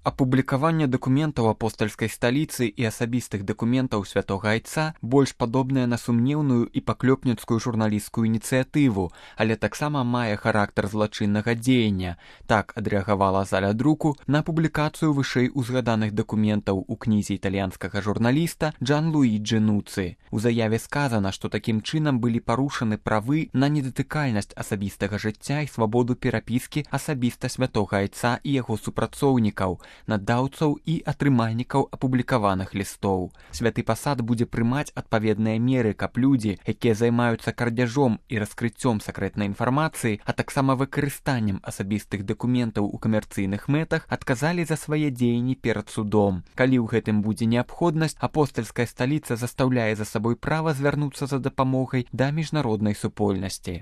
Апублікаванне дакументаў апостальскай сталіцы і асабістых дакументаў святога айца больш падобнае на сумнеўную і паклёпніцкую журналісцкую ініцыятыву, але таксама мае характар злачыннага дзеяння. Так адрэагавала заля друку на публікацыю вышэй узгаданых дакументаў у кнізе італьянскага журналіста Джанлуіджы Нуцы. У заяве сказана, што такім чынам былі парушаны правы на недатыкальнасць асабістага жыцця і свабоду перапіскі асабіста святога айца і яго супрацоўнікаў, надаўцаў і атрымальнікаў апублікаваных лістоў. Святы пасад будзе прымаць адпаведныя меры, каб людзі, якія займаюцца крадзяжом і раскрыццём сакрэтнай інфармацыі, а таксама выкарыстаннем асабістых дакументаў у камерцыйных мэтах, адказалі за свае дзеянні перад судом. Калі ў гэтым будзе неабходнасць, апостальская сталіца застаўляе за сабой права звярнуцца за дапамогай да міжнароднай супольнасці.